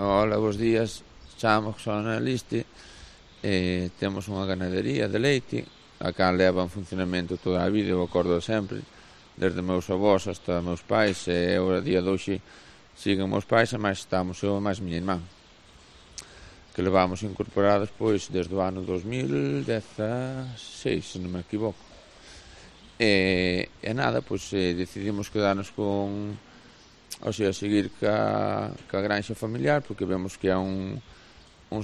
Hola, bos días. Chamo Xornaliste. Temos unha ganadería de leite, a cal leva en funcionamento toda a vida, eu acordo sempre, desde meus avós hasta meus pais, e eu a día de hoxe siguen meus pais, e máis estamos eu e máis miña irmán, que levamos incorporados pois desde o ano 2016, se non me equivoco. E nada, pois decidimos quedarnos con, ou sea, seguir ca granxa familiar, porque vemos que é un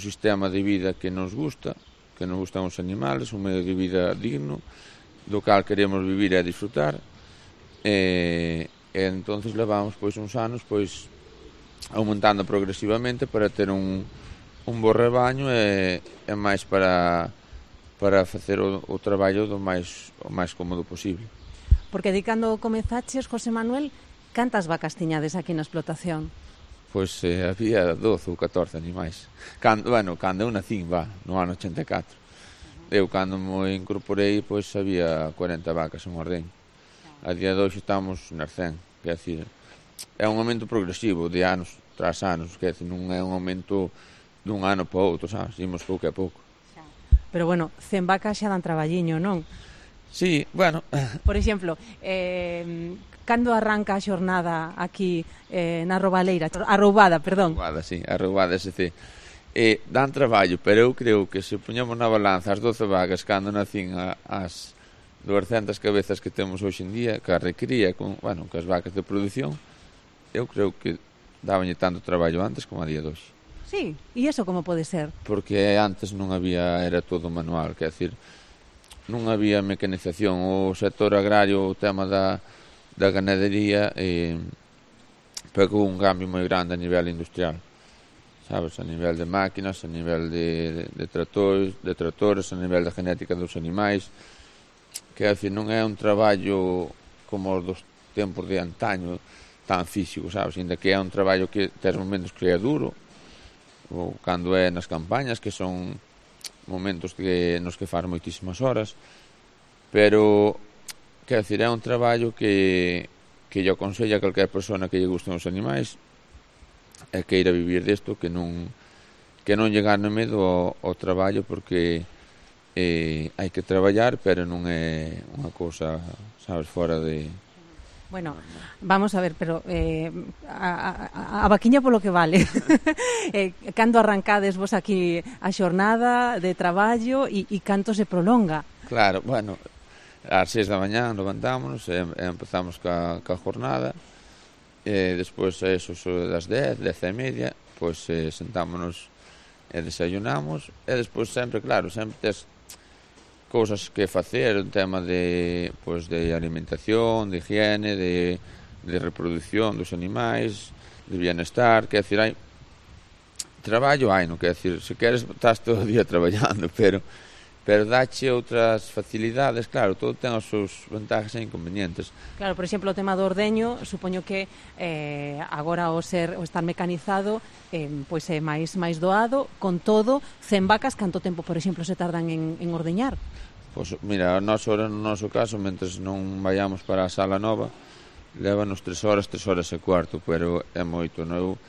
sistema de vida que nos gustan os animales, un medio de vida digno, do cal queremos vivir e disfrutar, e entonces levamos pois uns anos pois aumentando progresivamente para ter un bo rebaño e máis para facer o traballo o máis cómodo posible. Porque di cando comezaches, José Manuel, cantas vacas tiñades aquí na explotación? Pois había 12 ou 14 animais. Cando eu nacín, no ano 84. Eu, cando me incorporei, pois había 40 vacas en ordeño. A día de hoxe estamos nas 100. Quer decir, é un aumento progresivo de anos tras anos. Quer decir, non é un aumento dun ano para outro, sabes? Imos pouco a pouco. Pero, 100 vacas xa dan traballiño, non? Sí, bueno. Por exemplo, cando arranca a xornada aquí na Roubada, perdón? Arroubada, SC. Dan traballo, pero eu creo que se poñamos na balanza as 12 vacas cando nacín as 200 cabezas que temos hoxe en día, que a recría con as vacas de produción, eu creo que dabanlle tanto traballo antes como a día de hoxe. Sí, e iso como pode ser? Porque antes non había, era todo manual, quer decir, non había mecanización. O sector agrario, o tema da ganadería, pegou un cambio moi grande a nivel industrial, sabes, a nivel de máquinas, a nivel de tratores, a nivel da genética dos animais, que, decir, non é un traballo como os dos tempos de antaño, tan físico, sabes, ainda que é un traballo que tes momentos que é duro, ou cando é nas campañas, que son momentos nos que faz moitísimas horas, pero, quer decir, é un traballo que lle aconsella a calquer persona que lle gusten os animais e que ir a vivir desto, que non lle gane medo ao traballo, porque hai que traballar, pero non é unha cousa, sabes, fora de... Bueno, vamos a ver, pero a vaquiña polo que vale. Cando arrancades vos aquí a xornada de traballo e canto se prolonga? Claro, ás 6 da mañá levantámonos e empezamos ca jornada, e despois eso das 10, 10 e media, pois sentámonos e desayunamos, e despois sempre tes cousas que facer, un tema de alimentación, de higiene, de reproducción dos animais, de bienestar, quer decir, hai traballo, non, quer decir, se queres estás todo o día traballando, pero dache outras facilidades, claro, todo ten os seus vantaxes e inconvenientes. Claro, por exemplo, o tema do ordeño, supoño que agora o estar mecanizado pois é máis doado, con todo, 100 vacas, canto tempo, por exemplo, se tardan en ordeñar? Pois, mira, no noso caso, mentres non vayamos para a sala nova, lévanos 3 horas e cuarto, pero é moito, non?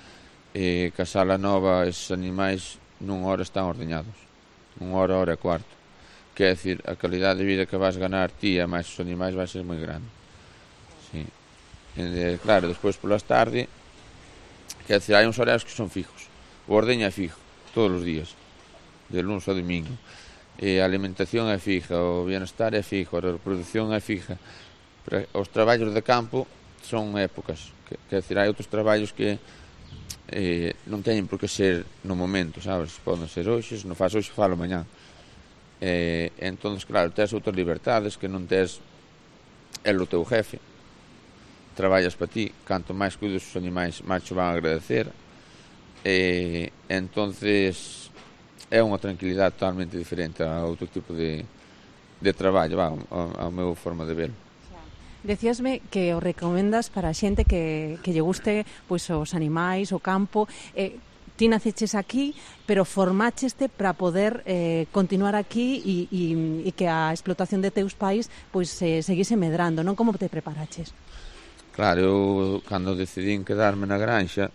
Que a sala nova, esses animais, nunha hora están ordeñados, hora e cuarto. Quer decir, a calidade de vida que vas ganar ti e máis os animais vai ser moi grande. Sí. Claro, despois polas tarde, quer decir, hai uns horarios que son fijos. O ordeño é fijo, todos os días, de lunes ao domingo. A alimentación é fija, o bienestar é fijo, a reproducción é fija. Pero os traballos de campo son épocas. Quer decir, hai outros traballos que non teñen por que ser no momento, sabes? Poden ser hoxe, se non faz hoxe, falo mañá. Entón, claro, tes outras libertades que non tes el o teu jefe. Traballas para ti, canto máis cuides os animais, máis te van a agradecer. Entonces é unha tranquilidade totalmente diferente a outro tipo de traballo, a meu forma de verlo. Decíasme que o recomendas para a xente que lle guste pois os animais, o campo. Ti naceches aquí, pero formácheste para poder continuar aquí e que a explotación de teus pais pois seguise medrando, non? Como te preparaches? Claro, eu cando decidín quedarme na granxa,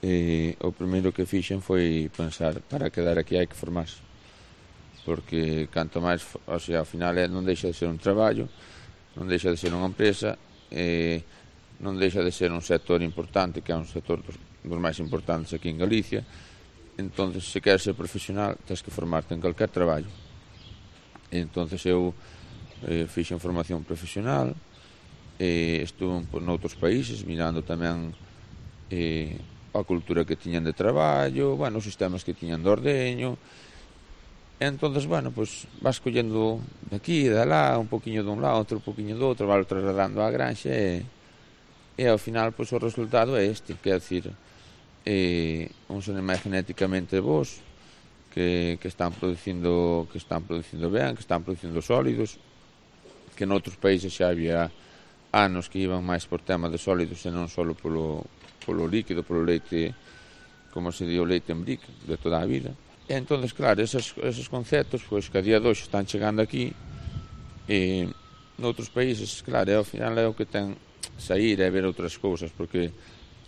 E o primeiro que fixen foi pensar, para quedar aquí hai que formarse, porque canto máis, o sea, ao final non deixa de ser un traballo, non deixa de ser unha empresa, non deixa de ser un sector importante, que é un sector dos máis importantes aquí en Galicia. Entonces, se queres ser profesional, tens que formarte en calquer traballo. E entonces eu fixen formación profesional, estuve noutros países mirando tamén a cultura que tiñan de traballo, bueno, os sistemas que tiñan de ordeño. E entonces, bueno, pues vas collendo de aquí e de alá, un poquinho dun lado, outro poquinho do outro, vas trasladando á granxa e ao final, pues o resultado é este, que é dicir, uns animais genéticamente bons que están producindo ben, que están producindo sólidos, que noutros países xa había anos que iban máis por tema de sólidos e non só polo líquido, polo leite, como se di, o leite en brick de toda a vida. E entonces, claro, esos conceptos, pois, que a día de hoxe están chegando aquí e noutros países, claro, ao final é o que ten sair e ver outras cousas, porque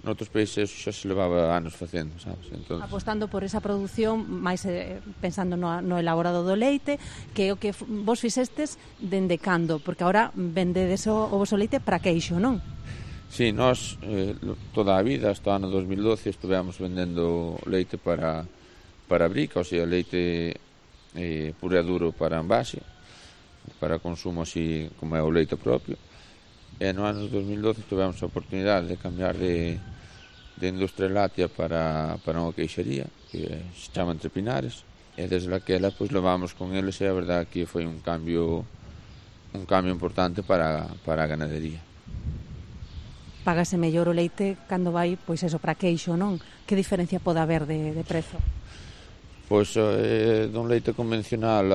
noutros países xa se levaba anos facendo, sabes? Entonces, apostando por esa produción, máis pensando no elaborado do leite, que é o que vos fixestes dende cando, porque agora vendedes o voso leite para queixo, non? Sí, nós toda a vida, hasta o ano 2012, estivemos vendendo leite para brica, ou sea, leite puro e duro para envase, para consumo así como é o leite propio. E no ano 2012 tivemos a oportunidade de cambiar de industria láctea para unha queixería que se chama Entre Pinares, e desde aquela pois levamos con eles, e a verdade que foi un cambio importante para a ganadería. Págase mellor o leite cando vai, pois eso, para queixo, non? Que diferencia pode haber de prezo? Pois dun leite convencional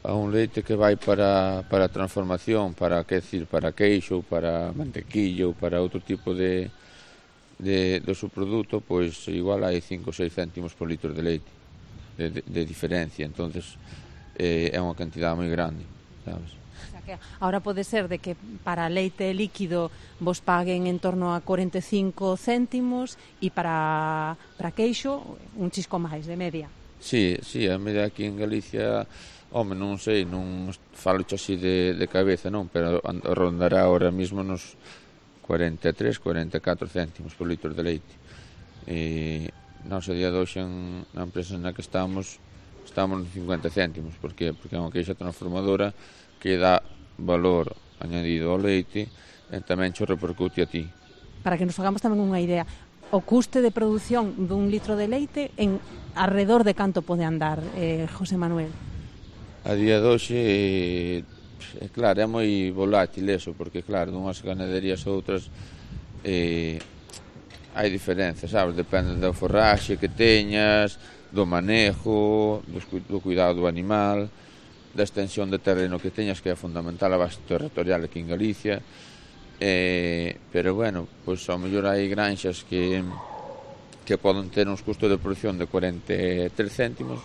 a un leite que vai para transformación, para queixo, para mantequillo, para outro tipo de subproduto, pois igual hai 5 ou 6 céntimos por litro de leite de diferencia. Entonces é unha cantidade moi grande, sabes? O sea que ahora pode ser de que para leite líquido vos paguen en torno a 45 céntimos e para queixo un chisco máis de media. Sí, a media aquí en Galicia, home, non sei, non falo así de cabeza, non, pero rondará ahora mismo nos 43, 44 céntimos por litro de leite. E nós a día de hoxe na empresa na que estamos nos 50 céntimos. Por qué? Porque é unha queixa transformadora que dá valor añadido ao leite e tamén xo repercute a ti. Para que nos fagamos tamén unha idea, o custe de produción dun litro de leite en alrededor de canto pode andar, José Manuel? A día de hoxe, claro, é moi volátil eso, porque claro, dunhas ganaderías ou outras hai diferenzas, sabes? Depende da forraxe que teñas, do manejo, do cuidado do animal, da extensión de terreno que teñas, que é fundamental a base territorial aquí en Galicia. Pero bueno, pois ao mellor hai granxas que poden ter uns custos de produción de 43 céntimos,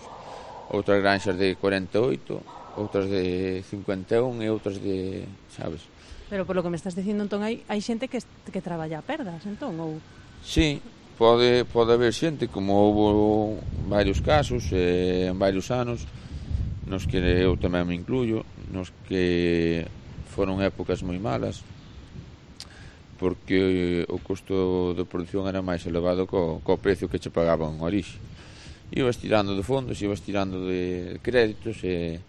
outras granxas de 48, outras de 51 e outras de, sabes? Pero polo que me estás dicindo, entón, hai xente que traballa a perdas, entón, ou? Sí, pode haber xente, como houve varios casos en varios anos, nos que eu tamén me incluyo, nos que foron épocas moi malas, porque o custo de produción era máis elevado co precio que che pagaban en orixe. Ibas tirando de fondos, ibas tirando de créditos e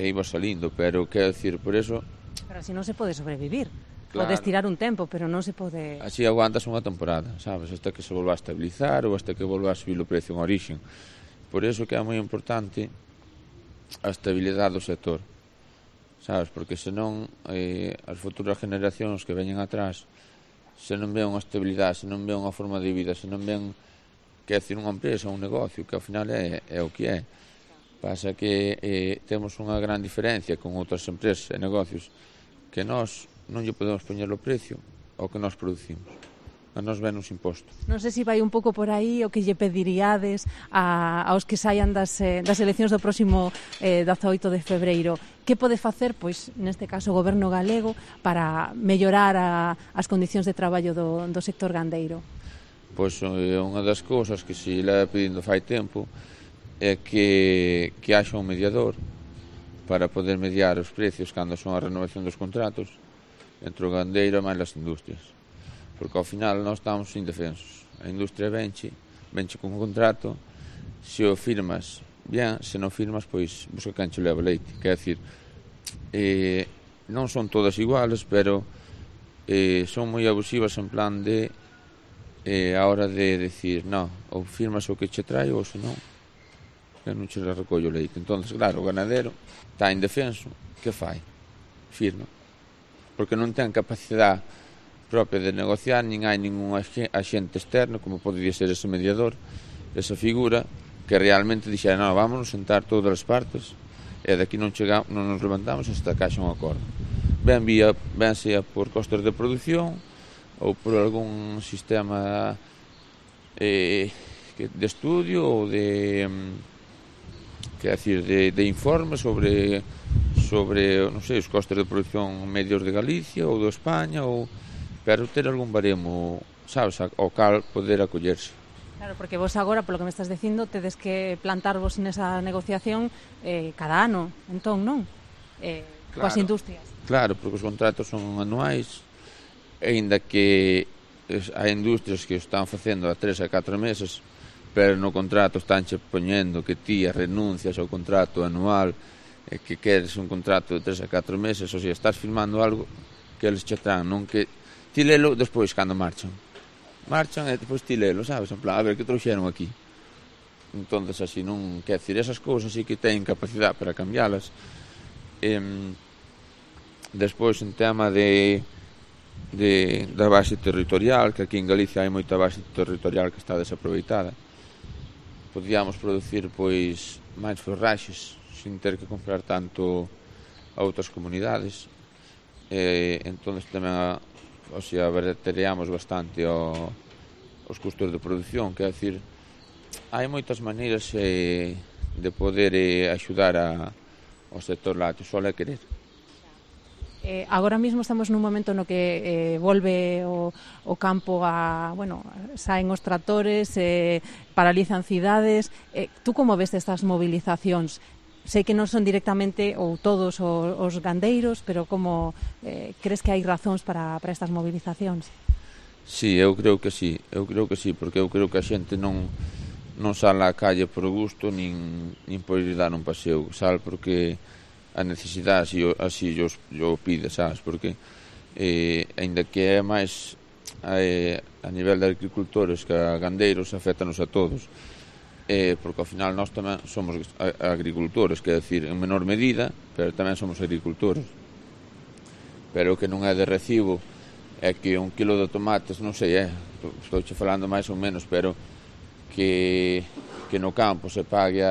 ibas salindo, pero quero dicir, por eso... Pero así non se pode sobrevivir. Claro. Podes tirar un tempo, pero non se pode... Así aguantas unha temporada, sabes, hasta que se volva a estabilizar ou hasta que volva a subir o precio en orixe. Por eso que é moi importante a estabilidade do sector, sabes, porque senón as futuras generacións que veñen atrás, se non ven unha estabilidade, se non ven unha forma de vida, se non ven que é dicir unha empresa, un negocio, que ao final é o que é. Pasa que temos unha gran diferencia con outras empresas e negocios, que nós non lle podemos poñer o precio ao que nós producimos. a nos venos imposto. Non sei se vai un pouco por aí o que lle pediríades aos que saian das eleccións do próximo 18 de febreiro. Que pode facer, pois, neste caso, o goberno galego para mellorar as condicións de traballo do sector gandeiro? Pois unha das cousas que se leva pedindo fai tempo é que haxa un mediador para poder mediar os precios cando son a renovación dos contratos entre o gandeiro e máis as industrias. Porque ao final nós estamos indefensos. A industria venche con un contrato, se o firmas bien, se non firmas, pois busca quen che leva leite. Quer decir, non son todas iguales, pero son moi abusivas en plan de a hora de decir, no, ou firmas o que che trae ou se non, que non che recollo leite. Entón, claro, o ganadero está indefenso, que fai? Firma. Porque non ten capacidade propia de negociar, nin hai ningún axente externo, como podería ser ese mediador, esa figura, que realmente dixera, no, vámonos sentar todas as partes, e daqui non nos levantamos hasta que haxa un acordo. Ben sea por costes de produción, ou por algún sistema de estudio, ou de informe sobre non sei, os costes de produción medios de Galicia ou de España, pero ter algún baremo, sabes, ao cal poder acollerse. Claro, porque vos agora, polo que me estás dicindo, tedes que plantarvos nesa negociación cada ano, entón, non? Coas industrias. Claro, porque os contratos son anuais, aínda que hai industrias que o están facendo a 3 a 4 meses, pero no contrato estánche poñendo que ti renuncias ao contrato anual e que queres un contrato de 3 a 4 meses, ou sea, estás firmando algo que eles che traen, non que ti lelo despois cando marchan e depois ti lelo, sabes, en plan, a ver, que trouxeron aquí. Entonces, así non, quer decir, esas cousas sí que teñen capacidade para cambialas. Despois, en tema da base territorial, que aquí en Galicia hai moita base territorial que está desaproveitada, podíamos producir, pois, máis forraxes sin ter que comprar tanto a outras comunidades. Entón, tamén abarateríamos bastante os custos de produción, quer decir, hai moitas maneiras de poder axudar ao sector lácteo, só é querer. Agora mesmo estamos nun momento no que volve o campo saen os tractores, paralizan cidades. Tú como ves estas movilizacións? Sei que non son directamente ou todos os gandeiros, pero como crees que hai razóns para estas movilizacións? Sí, eu creo que sí, porque eu creo que a xente non sale á calle por gusto, nin por ir dar un paseo, sale porque a necesidade así yo pide, sabes, porque aínda que é máis a nivel de agricultores que a gandeiros, afétanos a todos, porque ao final nós tamén somos agricultores, quer decir, en menor medida, pero tamén somos agricultores. Pero o que non é de recibo é que un kilo de tomates, non sei, estou che falando máis ou menos, pero que no campo se pague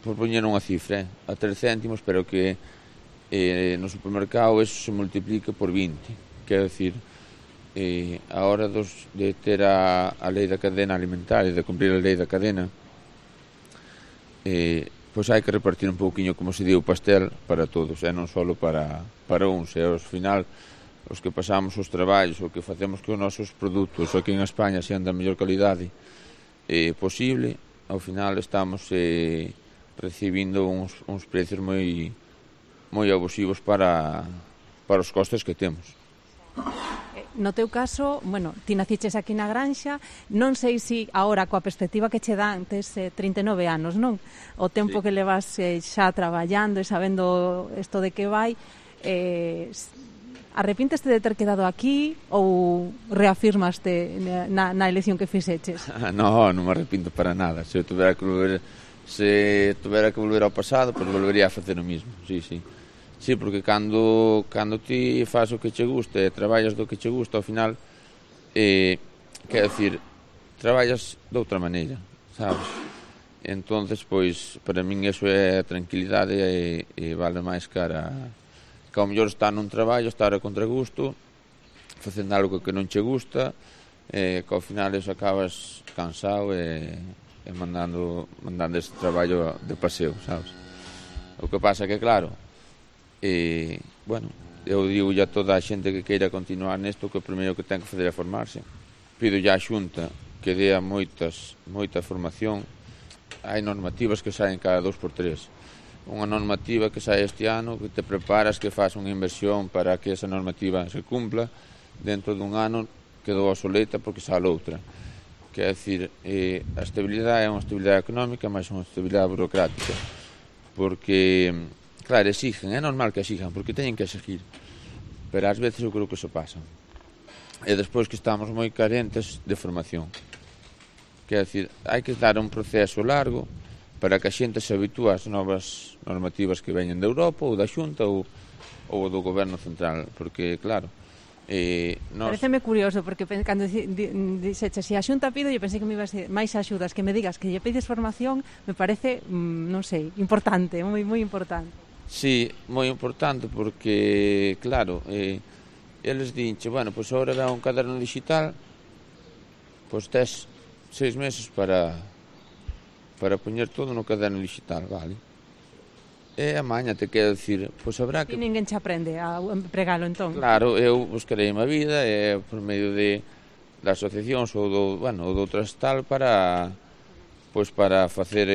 por poñer unha cifra, a 3 céntimos, pero que no supermercado eso se multiplica por 20, quer decir, a hora de ter a lei da cadena alimentaria, de cumprir a lei da cadena, pois hai que repartir un pouquiño, como se di, o pastel para todos, e non só para uns, e ao final os que pasamos os traballos, o que facemos que os nosos produtos aquí en España sean da mellor calidade posible, ao final estamos recibindo uns precios moi abusivos para os costes que temos. No teu caso, ti naciches aquí na granxa, non sei se agora coa perspectiva que che dan, tes 39 anos, non? O tempo que levas xa traballando e sabendo isto de que vai, arrepínteste de ter quedado aquí ou reafirmaste na elección que fixeches? Non me arrepinto para nada. Se tuvera que volver ao pasado, pois volvería a facer o mismo, sí. Sí, porque cando ti faz o que che gusta e traballas do que che gusta, ao final, quer decir, traballas de outra maneira, sabes? Entonces, pois, para min eso é a tranquilidade e vale máis cara que ao mellor estar nun traballo, estar a contragusto facendo algo que non che gusta, que ao final eso acabas cansado e mandando ese traballo de paseo, sabes? O que pasa que, claro, bueno, eu digo a toda a xente que queira continuar nesto que o primeiro que ten que fazer é formarse. Pido a Xunta que dea moita formación. Hai normativas que saen cada 2x3. Unha normativa que sae este ano, que te preparas, que faz unha inversión para que esa normativa se cumpla, dentro dun ano quedou obsoleta porque sale outra. Quer decir, a estabilidade é unha estabilidade económica, mas unha estabilidade burocrática. Porque, claro, exigen, é normal que exijan, porque teñen que exigir. Pero ás veces eu creo que se pasan. E despois que estamos moi carentes de formación. Quer decir, hai que dar un proceso largo para que a xente se habitúe ás novas normativas que veñen da Europa ou da Xunta ou do Goberno Central, porque, claro, Pareceme curioso, porque cando dixeche se a Xunta pido, eu pensei que me ibas a máis axudas, que me digas que lle pides formación, me parece, non sei, importante, moi importante. Sí, moi importante, porque, claro, eles dinche, bueno, pois agora dá un caderno digital, pois tes 6 meses para poñer todo no caderno digital, vale? E a maña te quero dicir, pois habrá que... E ninguén che aprende a empregalo, entón? Claro, eu buscarei a vida por medio da asociacións ou de outras tal para facer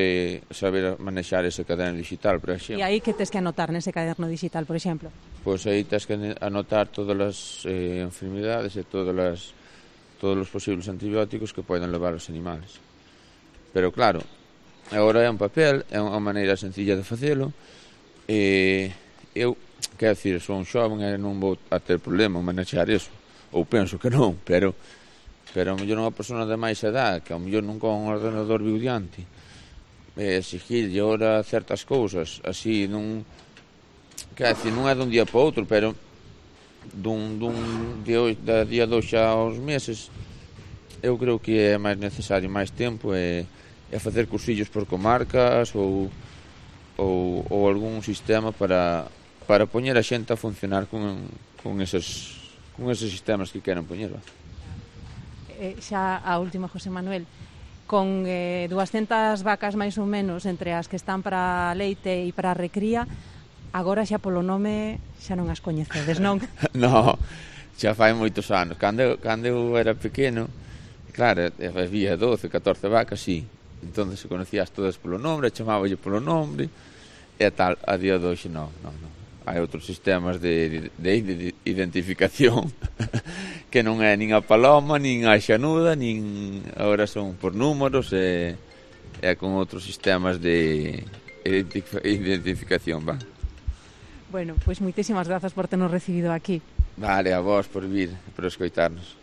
saber manexar ese caderno digital, por exemplo. E aí que tes que anotar nese caderno digital, por exemplo? Pois aí tes que anotar todas as enfermidades e todos os posibles antibióticos que poden levar os animales. Pero claro, agora é un papel, é unha maneira sencilla de facelo, e eu, quero dicir, sou un xoven e non vou a ter problema en manexar iso, ou penso que non, pero a mellor unha persona de máis edad, que a mellor non con un ordenador viu diante, exigirlle ora certas cousas, así, quero dicir, non é dun día para outro, pero da día 2 aos meses, eu creo que é máis necesario máis tempo e facer cursillos por comarcas ou algún sistema para poñer a xente a funcionar con eses sistemas que queren poñer. Xa a última, José Manuel, con 200 vacas máis ou menos entre as que están para leite e para a recría, agora xa polo nome xa non as coñecedes, non? No, xa fai moitos anos. Cando eu era pequeno, claro, había 12, 14 vacas, sí. Entón se conocías todas polo nome, chamáballe polo nome e tal. A día de hoxe non. Hai outros sistemas de identificación que non é nin a paloma, nin a xanuda, nin agora son por números e con outros sistemas de identificación, va. Bueno, pois moitísimas grazas por ternos recibido aquí. Vale, a vos por vir, por escoitarnos.